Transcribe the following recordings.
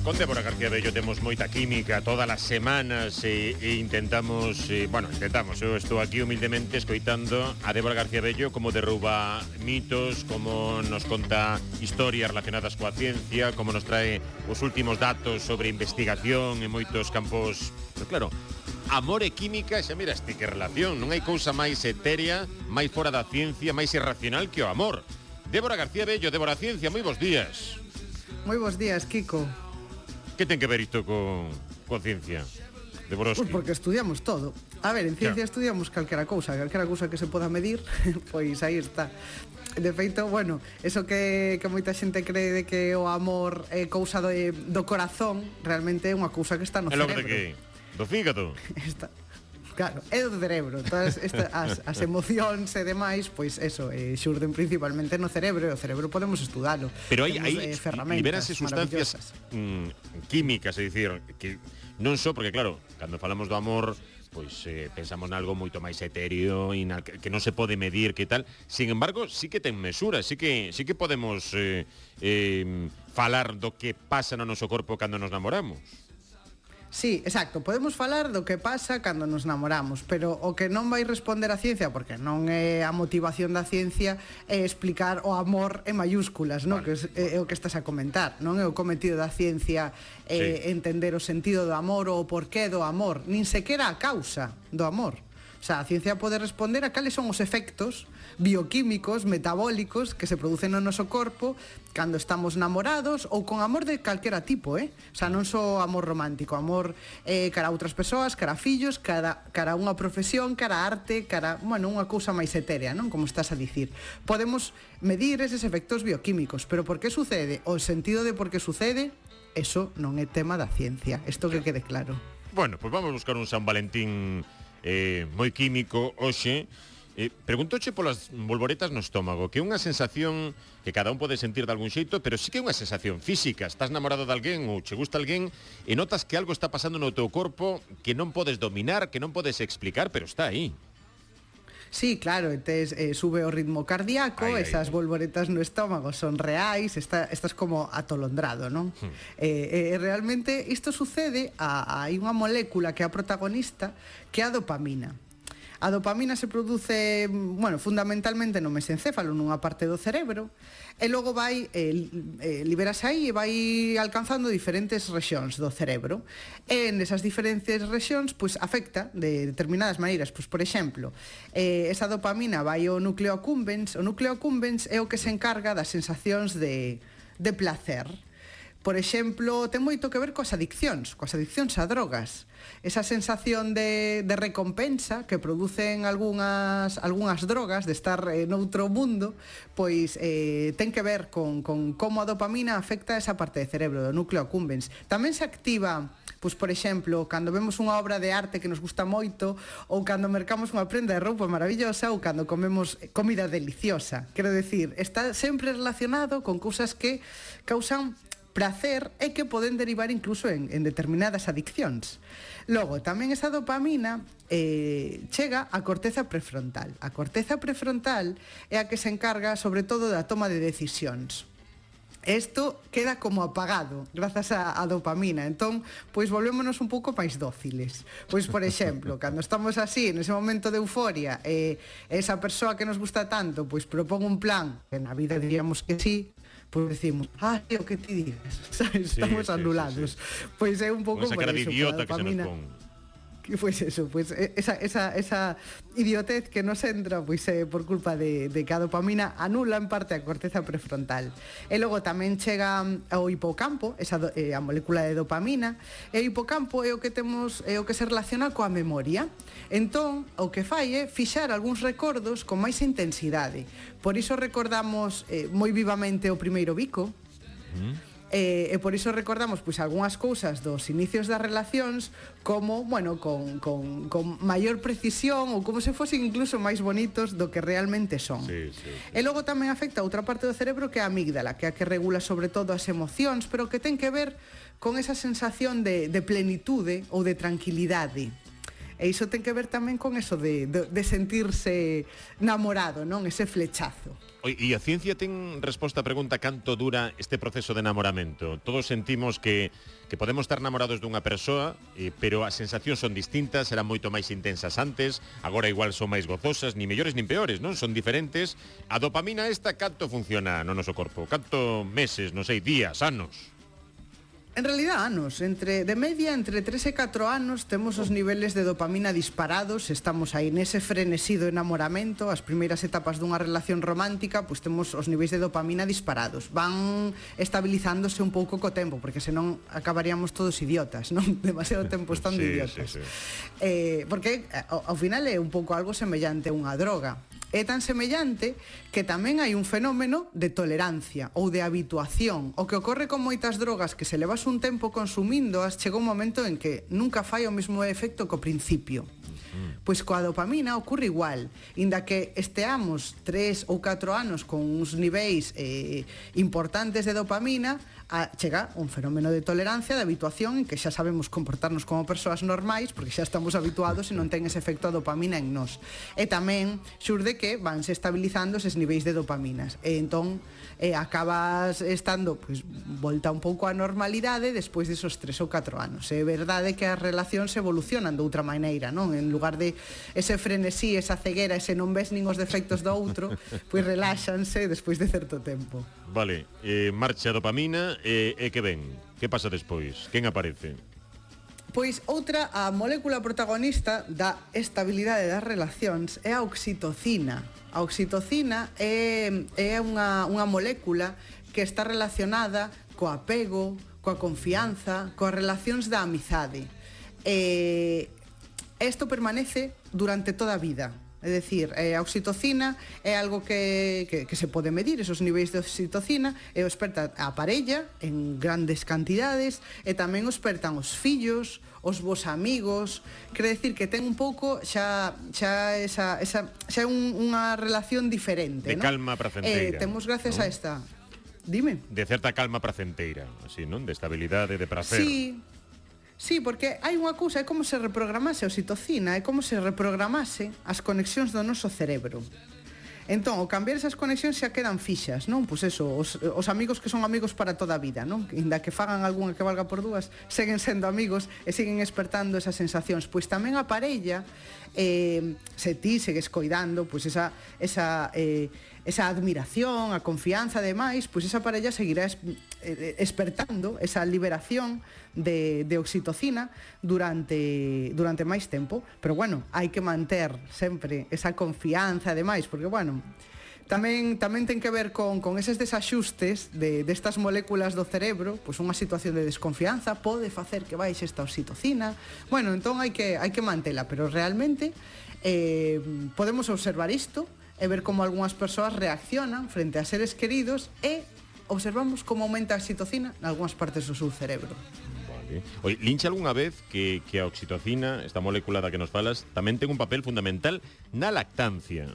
Con Débora García Bello temos moita química todas as semanas e intentamos, eu estou aquí humildemente escoitando a Débora García Bello como derruba mitos, como nos conta historias relacionadas coa ciencia, como nos trae os últimos datos sobre investigación en moitos campos. Pero claro, amor e química, xa miraste que relación, non hai cousa máis etérea, máis fora da ciencia, máis irracional que o amor. Débora García Bello, Débora Ciencia, moi bons días. Moi bons días, Kiko. Que ten que ver isto con ciencia? De Borowski. Pues porque estudiamos todo. A ver, en ciencia estudiamos calquera cousa que se poda medir, pois aí está. De feito, bueno, eso que moita xente cree de que o amor é cousa do corazón, realmente é unha cousa que está no cerebro. É logo de que? Do fígado? Está. Claro, é do cerebro. Todas as emocións e demais, pois eso, xurden principalmente no cerebro, e o cerebro podemos estudalo. Pero aí liberanse sustancias químicas, é dicir, que non só porque claro, cando falamos do amor, pois pensamos nalgo moito máis etéreo e que non se pode medir, que tal. Sin embargo, sí que ten mesura, sí que podemos falar do que pasa no noso corpo cando nos namoramos. Sí, exacto, podemos falar do que pasa cando nos namoramos, pero o que non vai responder a ciencia, porque non é a motivación da ciencia, é explicar o amor en mayúsculas, non? Que é o que estás a comentar, non é o cometido da ciencia entender o sentido do amor ou o porqué do amor, nin sequera a causa do amor. O sea, a ciencia pode responder a cales son os efectos bioquímicos, metabólicos que se producen no noso corpo cando estamos namorados ou con amor de calquera tipo, O sea, non só amor romántico, amor cara a outras persoas, cara a fillos, cara a unha profesión, cara a arte, bueno, unha cousa máis etérea, non? Como estás a dicir. Podemos medir eses efectos bioquímicos, pero por que sucede? O sentido de por que sucede, eso non é tema da ciencia. Isto que quede claro. Bueno, pois vamos buscar un San Valentín moi químico hoxe. Preguntoche polas bolboretas no estómago, que é unha sensación que cada un pode sentir de algún xeito, pero sí que é unha sensación física. Estás namorado de alguén ou che gusta alguén e notas que algo está pasando no teu corpo que non podes dominar, que non podes explicar, pero está aí. Sí, claro, sube o ritmo cardíaco, esas bolboretas no estómago son reais, estás como atolondrado, non? Realmente isto sucede, hai unha molécula que é a protagonista, que é a dopamina. A dopamina se produce, bueno, fundamentalmente no mesencéfalo, nunha parte do cerebro, e logo vai, liberase aí e vai alcanzando diferentes rexións do cerebro. E nesas diferentes rexións, pois, afecta de determinadas maneiras. Pois, por exemplo, esa dopamina vai ao núcleo accumbens. O núcleo accumbens é o que se encarga das sensacións de placer. Por exemplo, ten moito que ver coas adiccións a drogas. Esa sensación de recompensa que producen algunhas drogas, de estar noutro mundo, pois ten que ver con como a dopamina afecta esa parte do cerebro, do núcleo accumbens. Tamén se activa, pois, por exemplo, cando vemos unha obra de arte que nos gusta moito, ou cando mercamos unha prenda de roupa maravillosa, ou cando comemos comida deliciosa. Quero decir, está sempre relacionado con cousas que causan placer e que poden derivar incluso en determinadas adiccións. Logo, tamén esa dopamina chega á corteza prefrontal. A corteza prefrontal é a que se encarga sobre todo da toma de decisións. Isto queda como apagado grazas á dopamina. Entón, pois volvémonos un pouco máis dóciles. Pois, por exemplo, cando estamos así, nese momento de euforia, esa persoa que nos gusta tanto, pois propón un plan, que na vida diríamos que sí, pois decimos, o que ti digas, sabes? Estamos anulados. Pois é un pouco por iso. Esa cara de idiota que se nos pon. Pois eso, pois esa idiotez que nos entra, pois é por culpa de que a dopamina anula en parte a corteza prefrontal. E logo tamén chega ao hipocampo, a molécula de dopamina, e o hipocampo é o que se relaciona coa memoria. Entón, o que fai é fixar algúns recordos con máis intensidade. Por iso recordamos moi vivamente o primeiro bico. E por iso recordamos pois algunhas cousas dos inicios das relacións como, bueno, con maior precisión ou como se fosen incluso máis bonitos do que realmente son. Sí. E logo tamén afecta a outra parte do cerebro que é a amígdala, que é a que regula sobre todo as emocións, pero que ten que ver con esa sensación de plenitude ou de tranquilidade. E iso ten que ver tamén con eso de sentirse namorado, non? Ese flechazo. E a ciencia ten resposta á pregunta canto dura este proceso de namoramento? Todos sentimos que podemos estar namorados dunha persoa, pero as sensacións son distintas, eran moito máis intensas antes, agora igual son máis gozosas, ni mellores nin peores, non? Son diferentes. A dopamina esta canto funciona no noso corpo? Canto meses, non sei, días, anos? En realidad, anos. De media, entre 3 e 4 anos, temos os niveles de dopamina disparados, estamos aí nese frenesido enamoramento, as primeiras etapas dunha relación romántica, pois temos os niveis de dopamina disparados. Van estabilizándose un pouco co tempo, porque senón acabaríamos todos idiotas, non? Demasiado tempo estando idiotas. Sí. Porque ao final é un pouco algo semellante a unha droga. É tan semellante que tamén hai un fenómeno de tolerancia ou de habituación. O que ocorre con moitas drogas que se levas un tempo consumíndoas, chega un momento en que nunca fai o mesmo efecto que ao principio. Pois coa dopamina ocorre igual. Inda que esteamos 3 ou 4 anos con uns niveis importantes de dopamina, chega un fenómeno de tolerancia, de habituación, en que xa sabemos comportarnos como persoas normais, porque xa estamos habituados e non ten ese efecto a dopamina en nós. E tamén xurde que vanse estabilizando eses niveis de dopaminas. E entón acabas estando volta un pouco á normalidade despois desos 3 ou 4 anos. É verdade que as relacións evolucionan de outra maneira, non? En lugar de ese frenesí, esa ceguera, ese non ves nin os defectos do outro, pois reláxanse despois de certo tempo. Vale, marcha a dopamina e que ven? Que pasa despois? Quen aparece? Pois outra, a molécula protagonista da estabilidade das relacións é a oxitocina. A oxitocina é unha molécula que está relacionada co apego, coa confianza, coas relacións da amizade. Isto permanece durante toda a vida. É dicir, a oxitocina é algo que se pode medir, esos niveis de oxitocina, e o esperta a parella en grandes cantidades, e tamén o espertan os fillos, os vos amigos. Quere decir que ten un pouco xa é unha relación diferente, de calma pracenteira. Temos gracias a esta... Dime. De certa calma pracenteira, así, non? De estabilidade, de prazer. Sí, porque hai unha cousa, é como se reprogramase a oxitocina, é como se reprogramase as conexións do noso cerebro. Entón, ao cambiar esas conexións xa quedan fixas, non? Pois eso, os amigos que son amigos para toda a vida, non? Inda que fagan algunha que valga por dúas, seguen sendo amigos e siguen espertando esas sensacións. Pois tamén a parella, se ti segues coidando, pois esa admiración, a confianza, ademais, pois esa parella seguirá espertando esa liberación de oxitocina durante máis tempo. Pero bueno, hai que manter sempre esa confianza, ademais, porque bueno, tamén ten que ver con eses desaxustes destas moléculas do cerebro. Pois unha situación de desconfianza pode facer que baixe esta oxitocina. Bueno, entón hai que mantela, pero realmente podemos observar isto e ver como algunhas persoas reaccionan frente a seres queridos e observamos como aumenta a oxitocina en algunhas partes do seu cerebro. Vale. Lincha algunha vez que a oxitocina, esta molécula da que nos falas, tamén ten un papel fundamental na lactancia?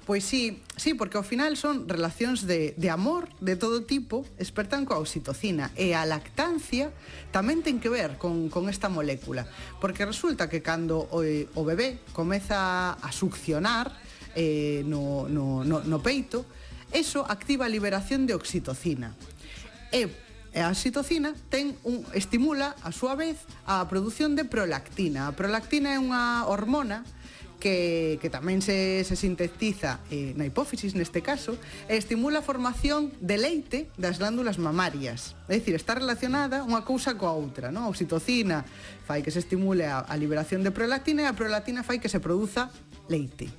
Pois sí, porque ao final son relacións de amor de todo tipo, espertan coa oxitocina, e a lactancia tamén ten que ver con esta molécula, porque resulta que cando o bebé comeza a succionar no peito, eso activa a liberación de oxitocina. E a oxitocina estimula, a súa vez, a produción de prolactina. A prolactina é unha hormona que tamén se sintetiza na hipófisis, neste caso, e estimula a formación de leite das glándulas mamarias. É dicir, está relacionada unha cousa coa outra, non? A oxitocina fai que se estimule a liberación de prolactina e a prolactina fai que se produza leite.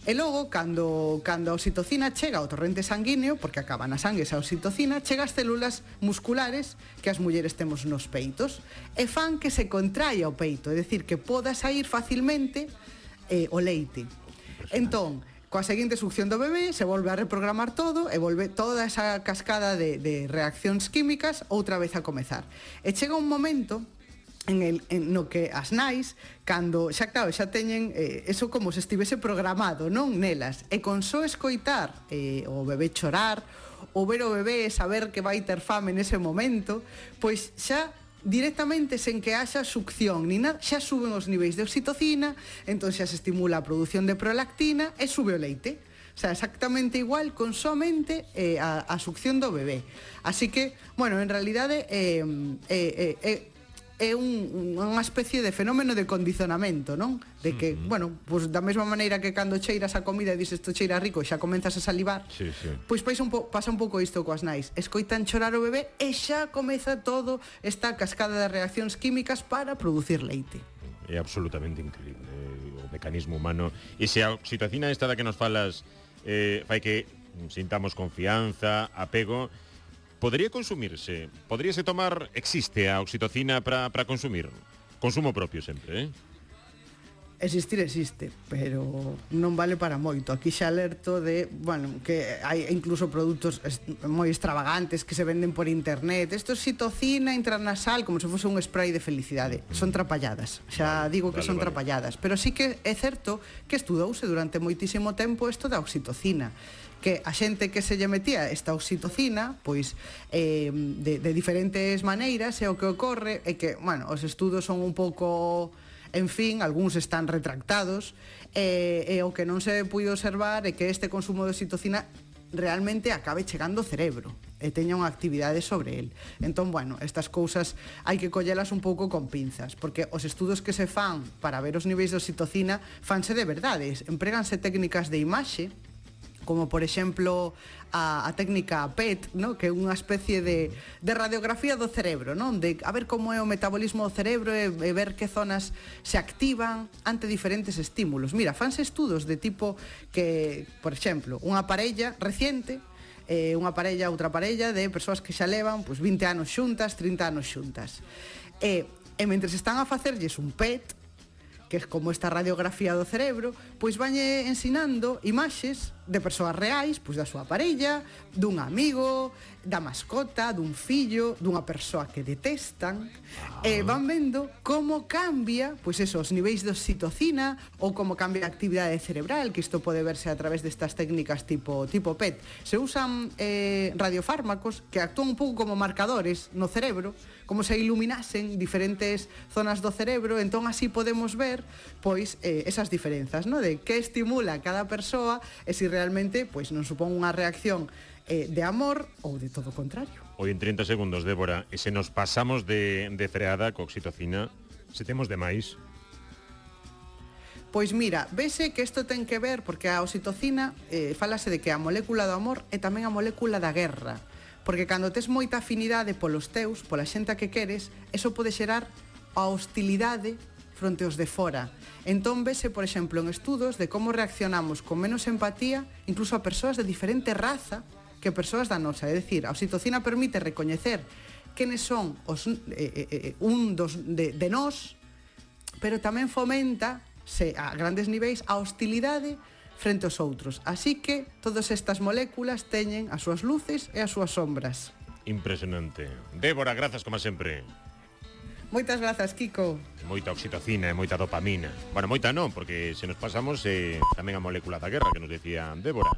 E logo, cando a oxitocina chega ao torrente sanguíneo, porque acaba na sangue esa oxitocina, chega ás células musculares que as mulleres temos nos peitos e fan que se contraia o peito, é dicir, que poda sair facilmente o leite. Entón, coa seguinte succión do bebé se volve a reprogramar todo e volve toda esa cascada de reaccións químicas outra vez a comezar. E chega un momento no que as nais, cando xa teñen eso como se estivese programado, non, nelas, e con só escoitar o bebé chorar, ou ver o bebé saber que vai ter fame nese momento, pois xa directamente sen que haxa succión ni nada, xa suben os niveis de oxitocina, entón xa se estimula a produción de prolactina e sube o leite. O sea, exactamente igual con somente a succión do bebé. Así que, bueno, en realidade é unha especie de fenómeno de condicionamento, non? De que, bueno, pues da mesma maneira que cando cheiras a comida e dices isto cheira rico e xa comenzas a salivar, pois pasa un pouco isto coas nais. Escoitan chorar o bebé e xa comeza todo esta cascada de reaccións químicas para producir leite. É absolutamente increíble o mecanismo humano. E se a oxitocina esta da que nos falas fai que sintamos confianza, apego, podría consumirse, podríase tomar, existe a oxitocina para consumir? Consumo propio sempre, Existir existe, pero non vale para moito. Aquí xa alerto de, bueno, que hai incluso produtos moi extravagantes que se venden por internet. Isto é oxitocina intranasal, como se fose un spray de felicidade. Son trapalladas, xa digo que son trapalladas. Pero sí que é certo que estudouse durante moitísimo tempo isto da oxitocina, que a xente que se lle metía esta oxitocina, pois de diferentes maneiras, e o que ocorre é que, bueno, os estudos son un pouco, en fin, algúns están retractados, e o que non se puido observar é que este consumo de oxitocina realmente acabe chegando ao cerebro e teña unha actividade sobre el. Entón, bueno, estas cousas hai que collelas un pouco con pinzas, porque os estudos que se fan para ver os niveis de oxitocina fanse de verdades, empréganse técnicas de imaxe, como por exemplo a técnica PET, ¿no? Que é unha especie de radiografía do cerebro, non? De a ver como é o metabolismo do cerebro e ver que zonas se activan ante diferentes estímulos. Mira, fanse estudos de tipo que, por exemplo, unha parella reciente, outra parella de persoas que xa levan pues, 20 anos xuntas, 30 anos xuntas. E mentres están a facerlles un PET, que é como esta radiografía do cerebro, pois vanlle ensinando imaxes de persoas reais, pois da súa parella, dun amigo, da mascota, dun fillo, dunha persoa que detestan, e van vendo como cambia, pois eso, os niveis de oxitocina, ou como cambia a actividade cerebral, que isto pode verse a través destas técnicas tipo PET. Se usan radiofármacos que actúan un pouco como marcadores no cerebro, como se iluminasen diferentes zonas do cerebro, entón así podemos ver pois esas diferenzas, ¿no? De que estimula cada persoa e se realmente pois non supón unha reacción de amor ou de todo o contrario. Hoy en 30 segundos, Débora, e se nos pasamos de freada co oxitocina, se temos de máis? Pois mira, vese que isto ten que ver porque a oxitocina falase de que a molécula do amor é tamén a molécula da guerra, porque cando tes moita afinidade polos teus, pola xente a que queres, eso pode xerar a hostilidade fronte aos de fora. Entón vese, por exemplo, en estudos de como reaccionamos con menos empatía incluso a persoas de diferente raza que persoas da nosa. É dicir, a oxitocina permite recoñecer quenes son os un dos de nós, pero tamén fomenta a grandes niveis a hostilidade frente aos outros. Así que todas estas moléculas teñen as súas luces e as súas sombras. Impresionante. Débora, grazas como sempre. Moitas grazas, Kiko. Moita oxitocina e moita dopamina. Bueno, moita non, porque se nos pasamos tamén a molécula da guerra que nos decía Débora.